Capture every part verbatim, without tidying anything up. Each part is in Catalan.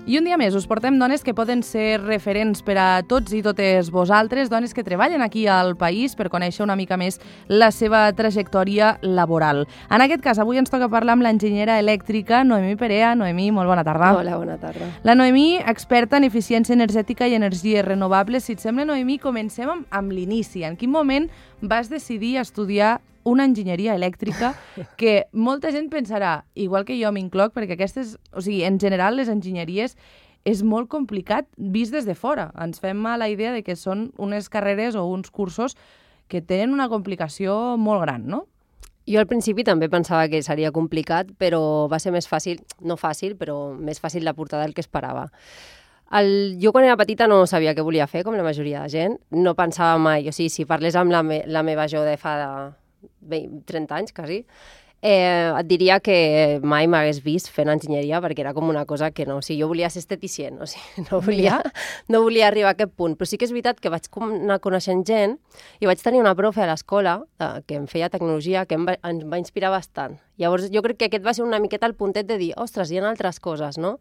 I un dia més us portem dones que poden ser referents per a tots i totes vosaltres, dones que treballen aquí al país per conèixer una mica més la seva trajectòria laboral. En aquest cas, avui ens toca parlar amb l'enginyera elèctrica Noemí Perea. Noemí, molt bona tarda. Hola, bona tarda. La Noemí, experta en eficiència energètica i energies renovables. Si et sembla, Noemí, comencem amb, amb l'inici. En quin moment vas decidir estudiar una enginyeria elèctrica que molta gent pensarà, igual que jo m'incloc, perquè aquestes, o sigui, en general les enginyeries és molt complicat vist des de fora. Ens fem a la idea de que són unes carreres o uns cursos que tenen una complicació molt gran, no? Jo al principi també pensava que seria complicat, però va ser més fàcil, no fàcil, però més fàcil de portar del que esperava. El, jo quan era petita no sabia què volia fer, com la majoria de gent. No pensava mai, o sigui, si parlés amb la, me, la meva jo de fa de trenta anys, quasi, eh, et diria que mai m'hagués vist fent enginyeria perquè era com una cosa que no, o sigui, jo volia ser esteticient, o sigui, no volia, no volia arribar a aquest punt. Però sí que és veritat que vaig anar coneixent gent i vaig tenir una profe a l'escola eh, que em feia tecnologia que em va, em va inspirar bastant. Llavors jo crec que aquest va ser una miqueta el puntet de dir, ostres, hi ha altres coses, no?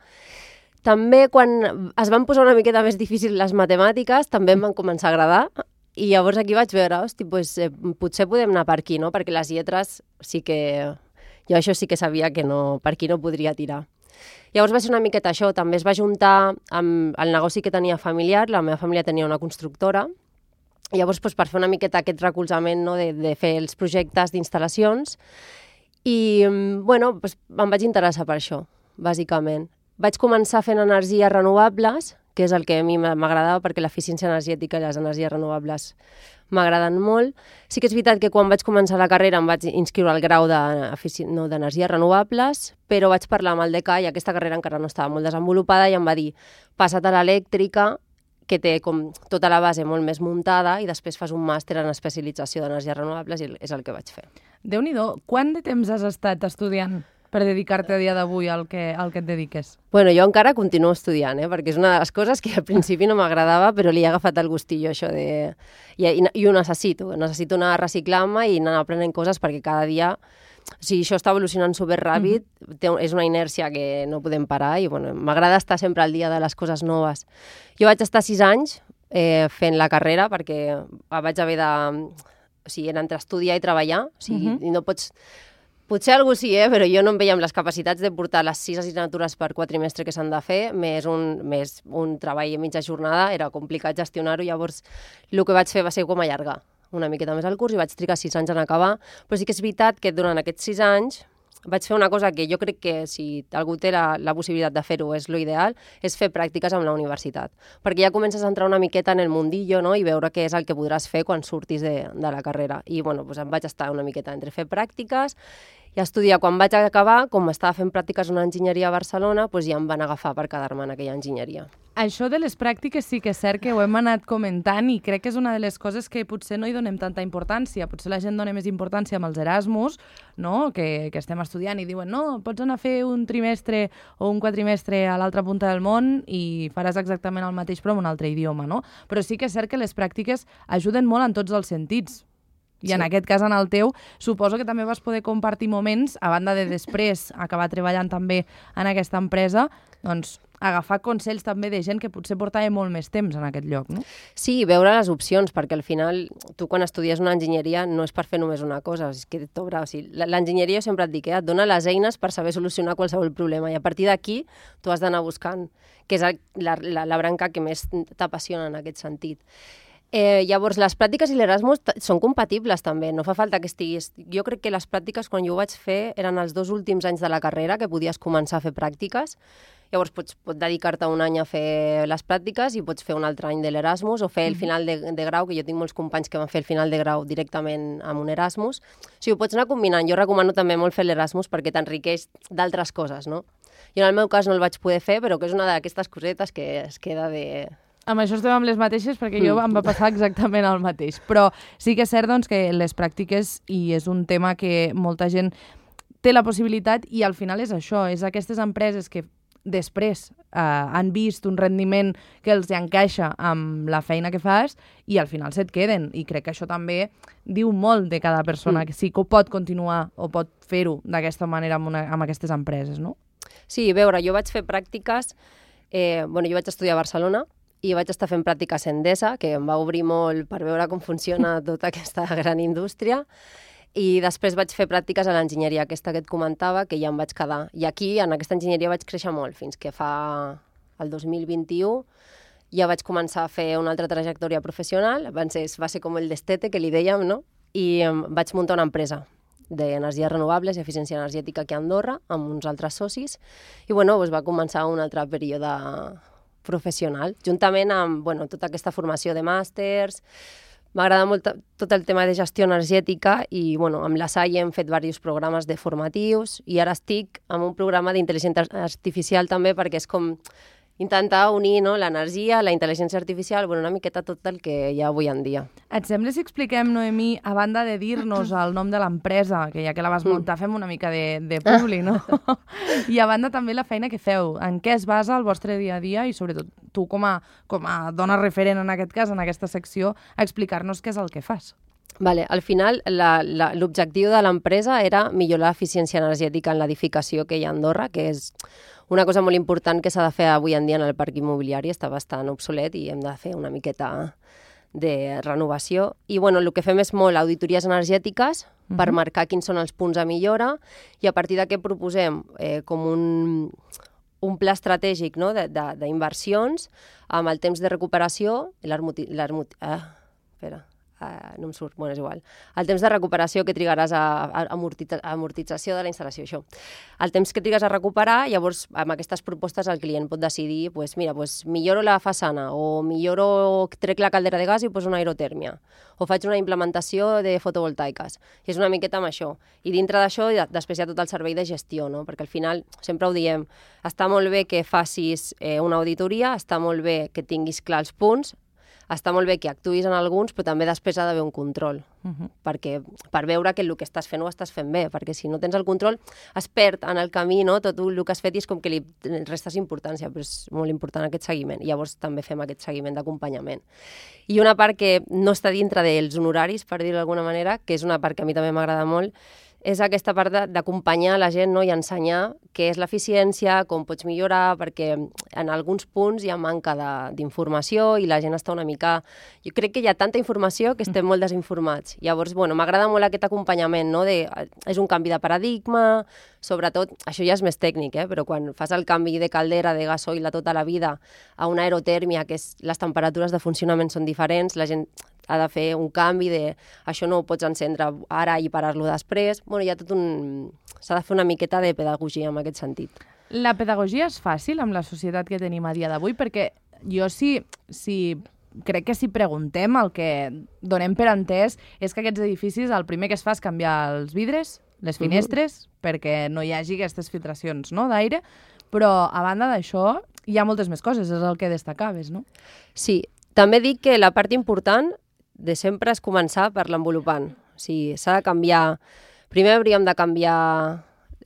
També quan es van posar una miqueta més difícil les matemàtiques, també em van començar a agradar. I llavors aquí vaig veure, hosti, pues, eh, potser podem anar per aquí, no? Perquè les lletres sí que... Jo això sí que sabia que no, per aquí no podria tirar. Llavors va ser una miqueta això, també es va juntar amb el negoci que tenia familiar, la meva família tenia una constructora, i llavors pues, per fer una miqueta aquest recolzament, no? de, de fer els projectes d'instal·lacions, i bueno, pues, em vaig interessar per això, bàsicament. Vaig començar fent energies renovables, que és el que a mi m'agradava perquè l'eficiència energètica i les energies renovables m'agraden molt. Sí que és veritat que quan vaig començar la carrera em vaig inscriure al grau d'energies no, renovables, però vaig parlar amb el decà i aquesta carrera encara no estava molt desenvolupada i em va dir, passa't a l'elèctrica, que té com tota la base molt més muntada i després fas un màster en especialització d'energies renovables i és el que vaig fer. Déu-n'hi-do, quant de temps has estat estudiant per dedicar-te a dia d'avui al que, al que et dediques? Bueno, jo encara continuo estudiant, eh? Perquè és una de les coses que al principi no m'agradava, però li he agafat el gustillo, això de... I, i, i ho necessito, necessito anar reciclant-me i anar aprenent coses perquè cada dia... O sigui, això està evolucionant superràpid, mm-hmm. té, és una inèrcia que no podem parar i bueno, m'agrada estar sempre al dia de les coses noves. Jo vaig estar sis anys eh, fent la carrera perquè vaig haver de... O sigui, era entre estudiar i treballar, o sigui, mm-hmm. i no pots... Potser algú sí, eh? Però jo no em veia amb les capacitats de portar les sis assignatures per quatrimestre que s'han de fer, més un, més un treball a mitja jornada, era complicat gestionar-ho, llavors el que vaig fer va ser com allargar una miqueta més el curs i vaig trigar sis anys en acabar, però sí que és veritat que durant aquests sis anys vaig fer una cosa que jo crec que si algú té la, la possibilitat de fer-ho és l'ideal, és fer pràctiques amb la universitat, perquè ja comences a entrar una miqueta en el mundillo, no? I veure què és el que podràs fer quan surtis de, de la carrera. I bueno, doncs em vaig estar una miqueta entre fer pràctiques i estudiar. Quan vaig acabar, com estava fent pràctiques en una enginyeria a Barcelona, doncs ja em van agafar per quedar-me en aquella enginyeria. Això de les pràctiques sí que és cert que ho hem anat comentant i crec que és una de les coses que potser no hi donem tanta importància. Potser la gent dona més importància amb els Erasmus, no? que, que estem estudiant i diuen no, pots anar a fer un trimestre o un quatrimestre a l'altra punta del món i faràs exactament el mateix però en un altre idioma, no? Però sí que és cert que les pràctiques ajuden molt en tots els sentits. I sí. En aquest cas, en el teu, suposo que també vas poder compartir moments, a banda de després acabar treballant també en aquesta empresa, doncs agafar consells també de gent que potser portava molt més temps en aquest lloc, no? Sí, veure les opcions, perquè al final tu quan estudies una enginyeria no és per fer només una cosa, és que t'obre, o sigui, l'enginyeria sempre et dic, eh, et dona les eines per saber solucionar qualsevol problema i a partir d'aquí tu has d'anar buscant, que és la, la, la branca que més t'apassiona en aquest sentit. Eh, llavors, les pràctiques i l'Erasmus són compatibles també, no fa falta que estiguis... Jo crec que les pràctiques, quan jo ho vaig fer, eren els dos últims anys de la carrera que podies començar a fer pràctiques. Llavors, pots, pots dedicar-te un any a fer les pràctiques i pots fer un altre any de l'Erasmus o fer el final de, de grau, que jo tinc molts companys que van fer el final de grau directament amb un Erasmus. O sigui, ho pots anar combinant. Jo recomano també molt fer l'Erasmus perquè t'enriqueix d'altres coses, no? Jo en el meu cas no el vaig poder fer, però que és una d'aquestes cosetes que es queda de... Amb això estem amb les mateixes perquè jo em va passar exactament el mateix. Però sí que és cert doncs, que les pràctiques, i és un tema que molta gent té la possibilitat, i al final és això, és aquestes empreses que després eh, han vist un rendiment que els encaixa amb la feina que fas i al final se't queden. I crec que això també diu molt de cada persona, mm. que sí que ho pot continuar o pot fer-ho d'aquesta manera amb, una, amb aquestes empreses, no? Sí, a veure, jo vaig fer pràctiques Eh, bueno, jo vaig estudiar a Barcelona i vaig estar fent pràctiques a Endesa, que em va obrir molt per veure com funciona tota aquesta gran indústria. I després vaig fer pràctiques a l'enginyeria, aquesta que et comentava, que ja em vaig quedar. I aquí, en aquesta enginyeria, vaig créixer molt, fins que fa el dos mil vint-i-u ja vaig començar a fer una altra trajectòria professional. Va ser, va ser com el destete, que li dèiem, no? I um, vaig muntar una empresa d'energies renovables i eficiència energètica aquí a Andorra, amb uns altres socis. I bueno, doncs va començar un altre període professional, juntament amb bueno, tota aquesta formació de màsters. M'agrada molt tot el tema de gestió energètica i bueno, amb la S A I hem fet diversos programes de formatius i ara estic en un programa d'intel·ligència artificial també perquè és com intentar unir no, l'energia, la intel·ligència artificial, bueno, una miqueta tot el que hi ha avui en dia. Et sembla si expliquem, Noemí, a banda de dir-nos el nom de l'empresa, que ja que la vas muntar fem una mica de, de publi, no? I a banda també la feina que feu, en què es basa el vostre dia a dia i sobretot tu com a, com a dona referent en aquest cas, en aquesta secció, a explicar-nos què és el que fas. Vale, al final l'objectiu de l'empresa era millorar l'eficiència energètica en l'edificació que hi ha a Andorra, que és una cosa molt important que s'ha de fer avui en dia en el parc immobiliari, està bastant obsolet i hem de fer una miqueta de renovació. I bueno, el que fem és molt auditories energètiques uh-huh. per marcar quins són els punts a millora i a partir d'aquí proposem eh, com un, un pla estratègic no? d'inversions amb el temps de recuperació i l'hermoti... Ah, espera... Uh, no em surt, bueno, és igual. El temps de recuperació que trigaràs a, a, a amortitza, amortització de la instal·lació, això. El temps que trigues a recuperar, llavors amb aquestes propostes el client pot decidir, pues, mira, pues, milloro la façana o milloro, trec la caldera de gas i poso una aerotèrmia o faig una implementació de fotovoltaiques. I és una miqueta amb això. I dintre d'això després hi ha tot el servei de gestió, no? Perquè al final, sempre ho diem, està molt bé que facis eh, una auditoria, està molt bé que tinguis clar els punts, està molt bé que actuïs en alguns, però també després ha d'haver un control, uh-huh. perquè, per veure que el que estàs fent ho estàs fent bé, perquè si no tens el control es perd en el camí, no? Tot el que has fet i és com que li restes importància, però és molt important aquest seguiment. I llavors també fem aquest seguiment d'acompanyament. I una part que no està dintre dels honoraris, per dir-ho d'alguna manera, que és una part que a mi també m'agrada molt, és aquesta part d'acompanyar la gent no? i ensenyar què és l'eficiència, com pots millorar, perquè en alguns punts hi ha manca d'informació i la gent està una mica... Jo crec que hi ha tanta informació que estem molt desinformats. Llavors, bueno, m'agrada molt aquest acompanyament, no? De, és un canvi de paradigma, sobretot, això ja és més tècnic, eh? Però quan fas el canvi de caldera, de gasoil a tota la vida, a una aerotèrmia, que és, les temperatures de funcionament són diferents, la gent ha de fer un canvi de això no ho pots encendre ara i parar-lo després. Bueno, hi ha tot un... S'ha de fer una miqueta de pedagogia en aquest sentit. La pedagogia és fàcil amb la societat que tenim a dia d'avui? Perquè jo sí, sí, crec que si preguntem el que donem per entès és que aquests edificis el primer que es fa és canviar els vidres, les finestres, uh-huh. perquè no hi hagi aquestes filtracions no, d'aire, però a banda d'això hi ha moltes més coses, és el que destacaves, no? Sí, també dic que la part important de sempre és començar per l'envolupant. O sigui, s'ha de canviar... Primer hauríem de canviar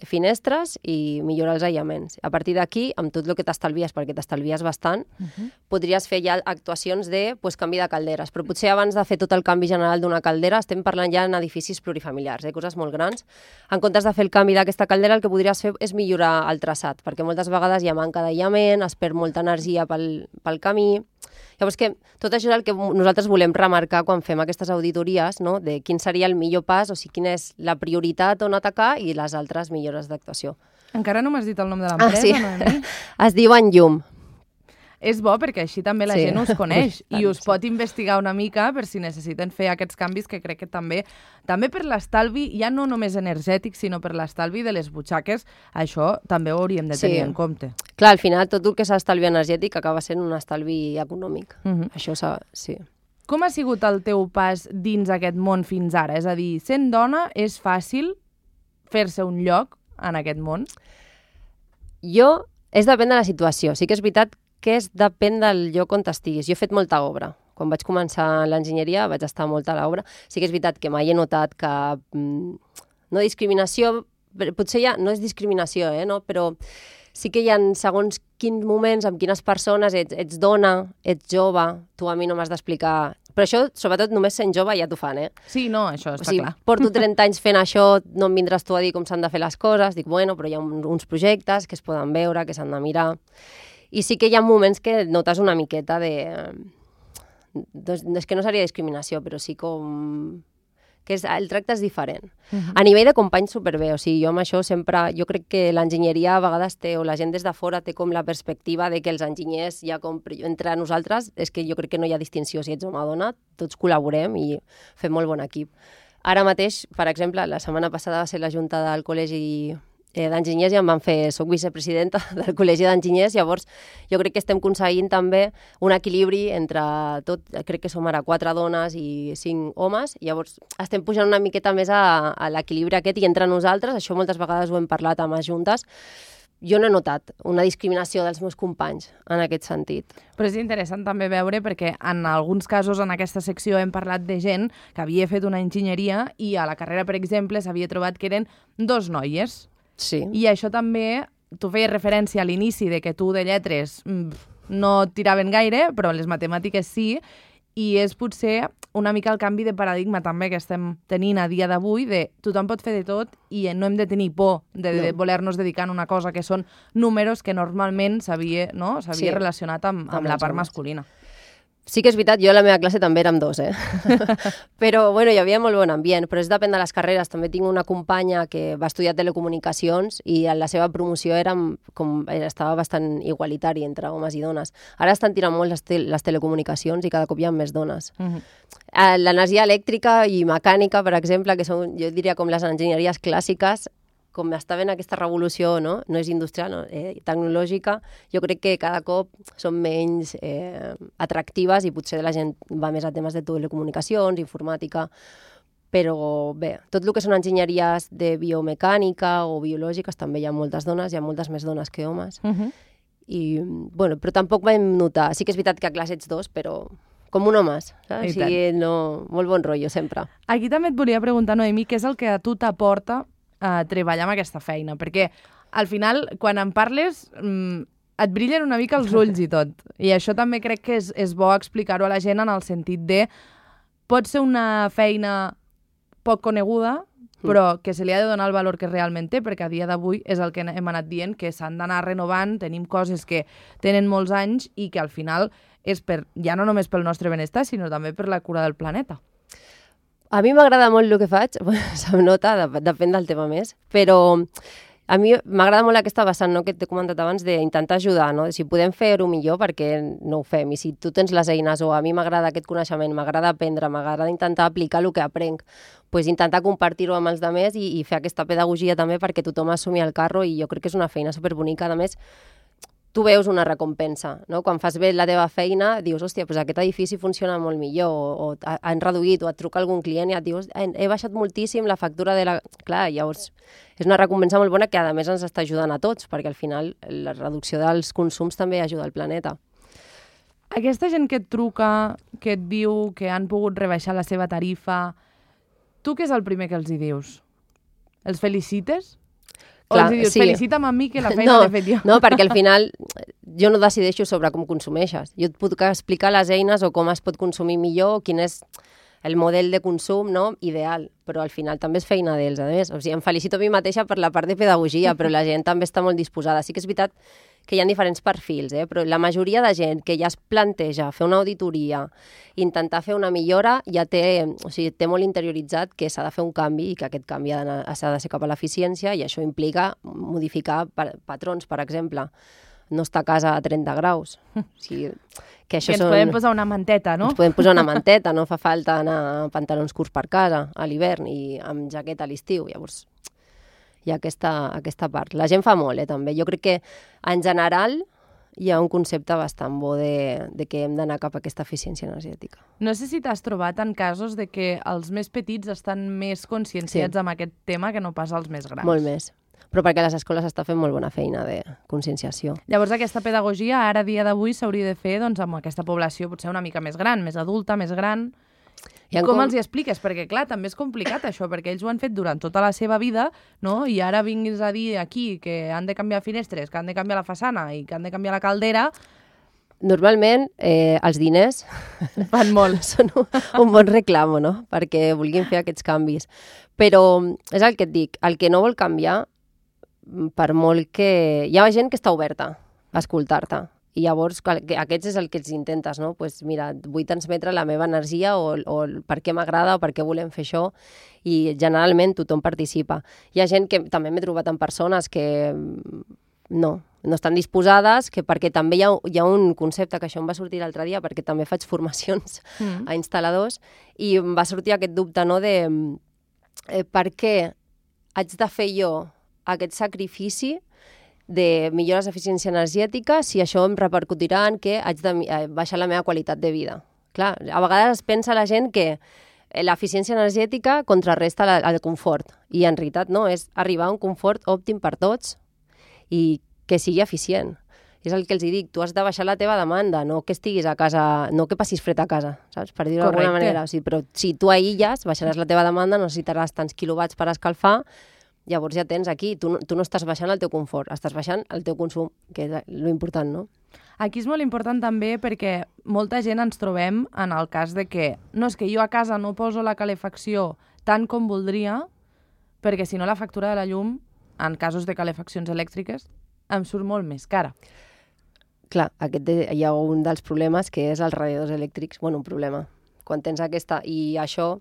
finestres i millorar els aïllaments. A partir d'aquí, amb tot el que t'estalvies, perquè t'estalvies bastant, uh-huh. podries fer ja actuacions de pues, canvi de calderes. Però potser abans de fer tot el canvi general d'una caldera estem parlant ja en edificis plurifamiliars, eh? Coses molt grans. En comptes de fer el canvi d'aquesta caldera, el que podries fer és millorar el traçat, perquè moltes vegades hi ha manca d'aïllament, es perd molta energia pel, pel camí... Llavors, que tot això és el que nosaltres volem remarcar quan fem aquestes auditories, no? De quin seria el millor pas, o sigui, quina és la prioritat on atacar i les altres millores d'actuació. Encara no m'has dit el nom de l'empresa, ah, sí. no? Es diu Enllum. És bo perquè així també la sí. gent us coneix i us pot investigar una mica per si necessiten fer aquests canvis que crec que també, també per l'estalvi, ja no només energètic, sinó per l'estalvi de les butxaques, això també ho hauríem de tenir sí. en compte. Clar, al final tot el que és estalvi energètic acaba sent un estalvi econòmic. Uh-huh. Això sí. Com ha sigut el teu pas dins aquest món fins ara? És a dir, sent dona és fàcil fer-se un lloc en aquest món? Jo, és depèn de la situació. Sí que és veritat que és depèn del lloc on estiguis. Jo he fet molta obra. Quan vaig començar l'enginyeria vaig estar molta a l'obra. Sí que és veritat que mai he notat que mm, no discriminació, potser ja no és discriminació, eh, no? Però sí que hi ha segons quins moments, amb quines persones, ets, ets dona, ets jove, tu a mi no m'has d'explicar... Però això, sobretot, només sent jove ja t'ho fan, eh? Sí, no, això està o sigui, clar. Porto trenta anys fent això, no em vindràs tu a dir com s'han de fer les coses. Dic, bueno, però hi ha un, uns projectes que es poden veure, que s'han de mirar... I sí que hi ha moments que notes una miqueta de... Doncs, és que no seria discriminació, però sí com... que és, el tracte és diferent. Uh-huh. A nivell de companys, superbé. O sigui, jo amb això sempre... Jo crec que l'enginyeria a vegades té, o la gent des de fora té com la perspectiva de que els enginyers ja com... Entre nosaltres és que jo crec que no hi ha distinció. Si ets home o dona, tots col·laborem i fem molt bon equip. Ara mateix, per exemple, la setmana passada va ser la junta del col·legi d'enginyers i em van fer, soc vicepresidenta del Col·legi d'Enginyers, llavors jo crec que estem aconseguint també un equilibri entre tot, crec que som ara quatre dones i cinc homes, llavors estem pujant una miqueta més a, a l'equilibri aquest i entre nosaltres, això moltes vegades ho hem parlat amb les juntes, jo no he notat una discriminació dels meus companys en aquest sentit. Però és interessant també veure perquè en alguns casos en aquesta secció hem parlat de gent que havia fet una enginyeria i a la carrera, per exemple, s'havia trobat que eren dos noies. Sí. I això també, tu feies referència a l'inici de que tu de lletres no et tiraven gaire, però les matemàtiques sí, i és potser una mica el canvi de paradigma també que estem tenint a dia d'avui, de tothom pot fer de tot i no hem de tenir por de, de no. voler-nos dedicar a una cosa que són números que normalment s'havia no? s'havia sí. relacionat amb, amb, amb la part homes. masculina. Sí que és veritat, jo a la meva classe també érem dos, eh? Però, bueno, hi havia molt bon ambient, però és depèn de les carreres. També tinc una companya que va estudiar telecomunicacions i en la seva promoció era com, estava bastant igualitari entre homes i dones. Ara estan tirant molt les, te les telecomunicacions i cada cop hi ha més dones. Uh -huh. L'energia elèctrica i mecànica, per exemple, que són, jo diria, com les enginyeries clàssiques, com està ben aquesta revolució, no, no és industrial, no, eh, tecnològica, jo crec que cada cop són menys eh, atractives i potser la gent va més a temes de telecomunicacions, informàtica, però bé, tot el que són enginyeries de biomecànica o biològiques també hi ha moltes dones, hi ha moltes més dones que homes, uh-huh. i, bueno, però tampoc vam notar, sí que és veritat que a classe ets dos, però com un home, saps? O sigui, no, molt bon rotllo sempre. Aquí també et volia preguntar, Noemí, què és el que a tu t'aporta a treballar amb aquesta feina, perquè al final, quan en parles, mmm, et brillen una mica els ulls i tot. I això també crec que és, és bo explicar-ho a la gent en el sentit de pot ser una feina poc coneguda, però que se li ha de donar el valor que realment té, perquè a dia d'avui és el que hem anat dient, que s'han d'anar renovant, tenim coses que tenen molts anys i que al final és per, ja no només pel nostre benestar, sinó també per la cura del planeta. A mi m'agrada molt el que faig, se'm nota, depèn del tema més, però a mi m'agrada molt aquesta vessant, no?, que t'he comentat abans, d'intentar ajudar, no? Si podem fer-ho millor, perquè no ho fem, i si tu tens les eines o a mi m'agrada aquest coneixement, m'agrada aprendre, m'agrada intentar aplicar el que aprenc, pues intentar compartir-ho amb els altres i, i fer aquesta pedagogia també perquè tothom assumi el carro, i jo crec que és una feina superbonica. A més, tu veus una recompensa, no? Quan fas bé la teva feina, dius, hòstia, doncs aquest edifici funciona molt millor, o, o han reduït, o et truca algun client i et dius, he, he baixat moltíssim la factura de la... Clar, llavors és una recompensa molt bona que a més ens està ajudant a tots, perquè al final la reducció dels consums també ajuda al planeta. Aquesta gent que et truca, que et diu que han pogut rebaixar la seva tarifa, tu què és el primer que els hi dius? Els felicites? Clar, o els dius, sí. Felicita'm a mi que la feina no, l'he fet jo. No, perquè al final jo no decideixo sobre com consumeixes. Jo et puc explicar les eines o com es pot consumir millor, quin és el model de consum, no?, ideal, però al final també és feina d'ells, a més. O sigui, em felicito a mi mateixa per la part de pedagogia, però la gent també està molt disposada. Sí que és veritat que hi ha diferents perfils, eh? Però la majoria de gent que ja es planteja fer una auditoria, intentar fer una millora, ja té, o sigui, té molt interioritzat que s'ha de fer un canvi i que aquest canvi ha de ser cap a l'eficiència, i això implica modificar patrons, per exemple. No està a casa a trenta graus. O sigui, que això I ens són... podem posar una manteta, no? Ens podem posar una manteta, no fa falta anar amb pantalons curts per casa a l'hivern i amb jaqueta a l'estiu. Llavors, hi ha aquesta, aquesta part. La gent fa molt, eh, també. Jo crec que, en general, hi ha un concepte bastant bo de, de que hem d'anar cap a aquesta eficiència energètica. No sé si t'has trobat en casos de que els més petits estan més conscienciats sí. amb aquest tema que no pas els més grans. Molt més. Però perquè les escoles està fent molt bona feina de conscienciació. Llavors, aquesta pedagogia, ara, dia d'avui, s'hauria de fer doncs, amb aquesta població potser una mica més gran, més adulta, més gran. I com, com els hi expliques? Perquè, clar, també és complicat això, perquè ells ho han fet durant tota la seva vida, no? I ara vinguis a dir aquí que han de canviar finestres, que han de canviar la façana i que han de canviar la caldera... Normalment, eh, els diners fan molt. Són un, un bon reclam, no?, perquè vulguin fer aquests canvis. Però és el que et dic, el que no vol canviar, per molt que... Hi ha gent que està oberta a escoltar-te. I llavors aquests és el que els intentes, no? Pues mira, vull transmetre la meva energia o, o per què m'agrada o per què volem fer això, i generalment tothom participa. Hi ha gent que també m'he trobat en persones que no, no estan disposades, que perquè també hi ha, hi ha un concepte, que això em va sortir l'altre dia, perquè també faig formacions mm. a instal·ladors, i em va sortir aquest dubte, no?, de eh, per què haig de fer jo aquest sacrifici de millores d'eficiència energètica si això em repercutirà en que haig de baixar la meva qualitat de vida. Clar, a vegades es pensa la gent que l'eficiència energètica contrarresta el confort, i en realitat no, és arribar a un confort òptim per tots i que sigui eficient. És el que els dic, tu has de baixar la teva demanda, no que estiguis a casa, no que passis fred a casa, saps? Per dir-ho d'alguna manera. O sigui, però si tu aïlles, baixaràs la teva demanda, no necessitaràs tants quilowatts per escalfar. Llavors ja tens aquí, tu no, tu no estàs baixant el teu confort, estàs baixant el teu consum, que és l'important, no? Aquí és molt important també perquè molta gent ens trobem en el cas de que no, és que jo a casa no poso la calefacció tant com voldria, perquè si no la factura de la llum, en casos de calefaccions elèctriques, em surt molt més cara. Clar, aquest, hi ha un dels problemes que és els radiadors elèctrics, bueno, un problema. Quan tens aquesta, i això...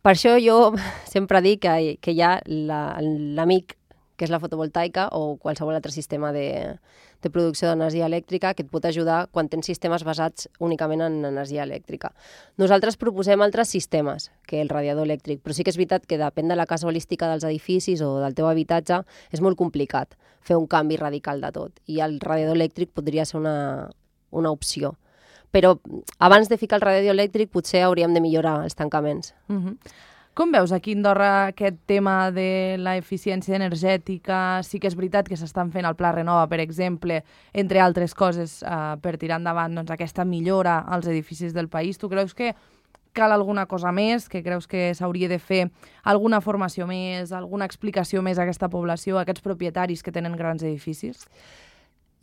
Per això jo sempre dic que, que hi ha l'amic, que és la fotovoltaica, o qualsevol altre sistema de, de producció d'energia elèctrica que et pot ajudar quan tens sistemes basats únicament en energia elèctrica. Nosaltres proposem altres sistemes que el radiador elèctric, però sí que és veritat que depèn de la casualística dels edificis o del teu habitatge, és molt complicat fer un canvi radical de tot, i el radiador elèctric podria ser una, una opció. Però abans de ficar el radiador elèctric potser hauríem de millorar els tancaments. Uh-huh. Com veus aquí a Andorra aquest tema de l'eficiència energètica? Sí que és veritat que s'estan fent el Pla Renova, per exemple, entre altres coses, eh, per tirar endavant doncs, aquesta millora als edificis del país. Tu creus que cal alguna cosa més? Que creus que s'hauria de fer alguna formació més, alguna explicació més a aquesta població, a aquests propietaris que tenen grans edificis?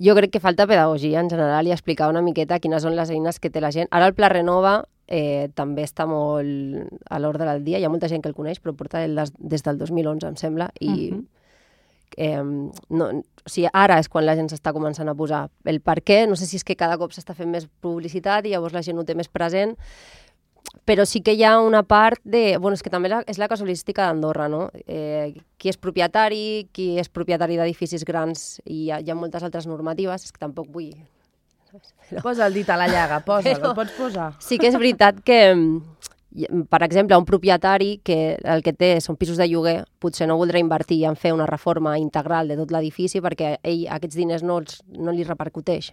Jo crec que falta pedagogia en general i explicar una miqueta quines són les eines que té la gent. Ara el Pla Renova eh, també està molt a l'ordre del dia, hi ha molta gent que el coneix, però porta el des, des del dos mil onze, em sembla, i uh-huh. eh, no, o sigui, ara és quan la gent s'està començant a posar el per què, no sé si és que cada cop s'està fent més publicitat i llavors la gent ho té més present, però sí que hi ha una part de... Bueno, és que també la, és la casualística d'Andorra, no? Eh, qui és propietari, qui és propietari d'edificis grans, i hi ha, hi ha moltes altres normatives, és que tampoc vull... Però... Posa el dit a la llaga, posa, però... el pots posar. Sí que és veritat que, per exemple, un propietari que el que té són pisos de lloguer, potser no voldrà invertir en fer una reforma integral de tot l'edifici perquè ell aquests diners no, els, no li repercuteix.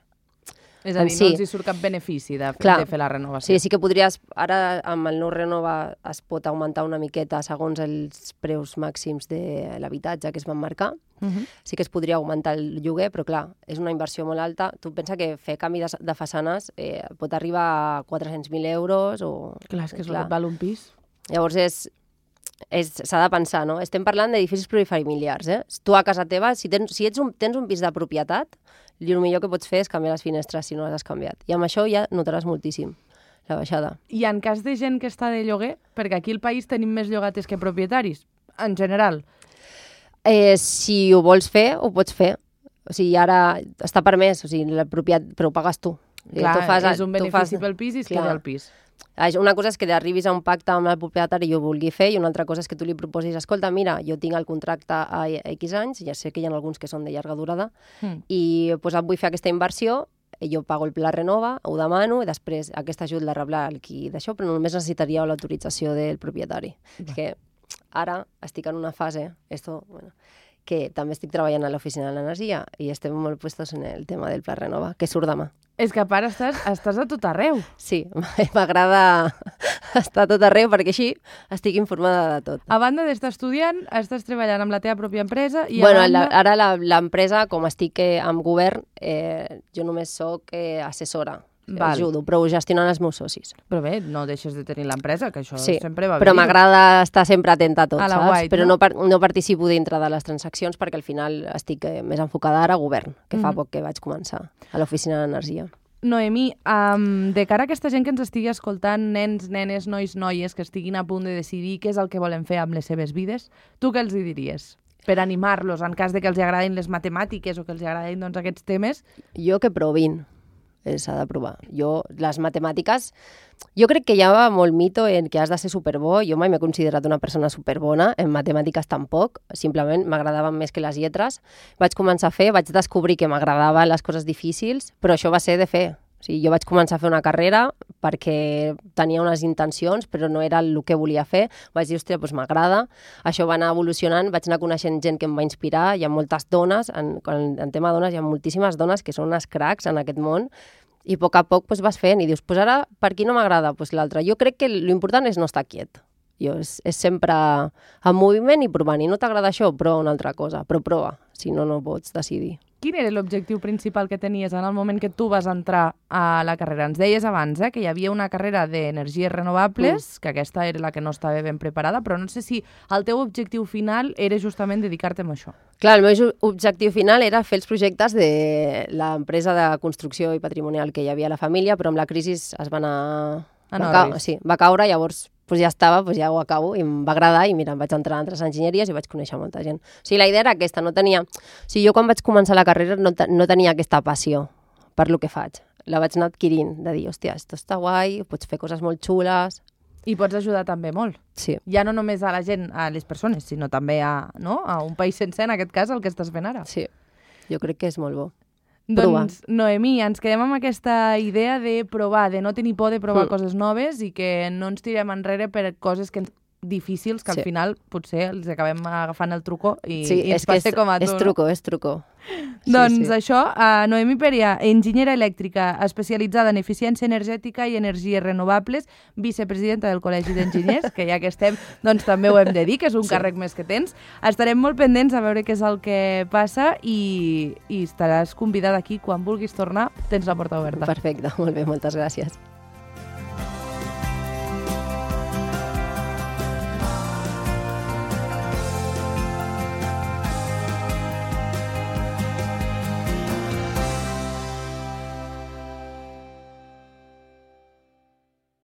És a dir, sí. No els hi surt cap benefici de, de fer la renovació. Sí, sí que podries... Ara, amb el nou Renova, es pot augmentar una miqueta segons els preus màxims de l'habitatge que es van marcar. Uh-huh. Sí que es podria augmentar el lloguer, però clar, és una inversió molt alta. Tu pensa que fer canvi de, de façanes eh, pot arribar a quatre-cents mil euros o... Clar, és que és el que val un pis. Llavors és... s'ha de pensar, no? Estem parlant d'edificis plurifamiliars, eh? Tu a casa teva, si tens, si ets un, tens un pis de propietat, el millor que pots fer és canviar les finestres si no les has canviat. I amb això ja notaràs moltíssim la baixada. I en cas de gent que està de lloguer, perquè aquí al país tenim més llogates que propietaris, en general. Eh, si ho vols fer, ho pots fer. O sigui, ara està permès, o sigui, la propietat, però ho pagues tu. Clar, tu fas, és un benefici fas... pel pis i es queda el pis. Una cosa és que arribis a un pacte amb el propietari i ho vulgui fer, i una altra cosa és que tu li proposis, escolta, mira, jo tinc el contracte a X anys, ja sé que hi ha alguns que són de llarga durada, mm. i pues, vull fer aquesta inversió, jo pago el Pla Renova, ho demano, i després aquest ajut la rebrà el qui d'això, però només necessitaria l'autorització del propietari. És que ara estic en una fase, esto, bueno, que també estic treballant a l'oficina de l'energia i estem molt puestos en el tema del Pla Renova, que surt demà. És que a part estàs, estàs a tot arreu. Sí, m'agrada estar a tot arreu perquè així estic informada de tot. A banda d'estar estudiant, estàs treballant amb la teva pròpia empresa i bueno, a banda... la, ara l'empresa, com estic eh, amb govern, eh, jo només soc eh, assessora. Val. Ajudo, però ho gestionen els meus socis. Però bé, no deixes de tenir l'empresa, que això sí, sempre va bé. Però m'agrada estar sempre atenta a tot, a saps? White, però no? no, no participo dintre de les transaccions perquè al final estic eh, més enfocada ara a govern, que mm-hmm. fa poc que vaig començar a l'oficina d'energia. Noemí, um, de cara a aquesta gent que ens estigui escoltant, nens, nenes, nois, noies, que estiguin a punt de decidir què és el que volen fer amb les seves vides, tu què els hi diries? Per animar-los, en cas de que els agradin les matemàtiques o que els agradin doncs, aquests temes? Jo que provin. s'ha de provar. Jo, les matemàtiques, jo crec que hi ha molt mito en que has de ser superbo. Jo mai m'he considerat una persona superbona, en matemàtiques tampoc, simplement m'agradaven més que les lletres. Vaig començar a fer, vaig descobrir que m'agradaven les coses difícils, però això va ser de fer. O sigui, jo vaig començar a fer una carrera perquè tenia unes intencions, però no era el que volia fer. Vaig dir, hòstia, doncs m'agrada. Això va anar evolucionant, vaig anar coneixent gent que em va inspirar. Hi ha moltes dones, en, en tema dones, hi ha moltíssimes dones que són unes cracs en aquest món, i a poc a poc pues, vas fent i dius, pues ara, per qui no m'agrada? Pues l'altre. Jo crec que l'important és no estar quiet. Jo, és, és sempre en moviment i provant. I no t'agrada això? Prova una altra cosa, però prova, si no, no pots decidir. Quin era l'objectiu principal que tenies en el moment que tu vas entrar a la carrera? Ens deies abans eh, que hi havia una carrera d'energies renovables, mm. que aquesta era la que no estava ben preparada, però no sé si el teu objectiu final era justament dedicar-te a això. Clar, el meu objectiu final era fer els projectes de l'empresa de construcció i patrimonial que hi havia a la família, però amb la crisi es va anar... Va, ca... sí, va caure, llavors pues ja estava, pues ja ho acabo, i em va agradar, i mira, em vaig entrar en altres enginyeries i vaig conèixer molta gent. O sigui, la idea era aquesta, no tenia... O sigui, jo quan vaig començar la carrera no, te... no tenia aquesta passió per lo que faig. La vaig anar adquirint, de dir, hòstia, esto està guai, pots fer coses molt xules... I pots ajudar també molt. Sí. Ja no només a la gent, a les persones, sinó també a, no? a un país sencer, en aquest cas, el que estàs fent ara. Sí, jo crec que és molt bo. Doncs, Noemí, ens quedem amb aquesta idea de provar, de no tenir por de provar mm. coses noves i que no ens tirem enrere per coses que ens difícils que sí. al final potser els acabem agafant el truco i, sí, i ens passa com a tu. És truco, és truco. Doncs sí, sí. això, uh, Noemí Peria, enginyera elèctrica especialitzada en eficiència energètica i energies renovables, vicepresidenta del Col·legi d'Enginyers, que ja que estem, doncs també ho hem de dir, que és un sí. càrrec més que tens. Estarem molt pendents a veure què és el que passa i, i estaràs convidada aquí quan vulguis tornar, tens la porta oberta. Perfecte, molt bé, moltes gràcies.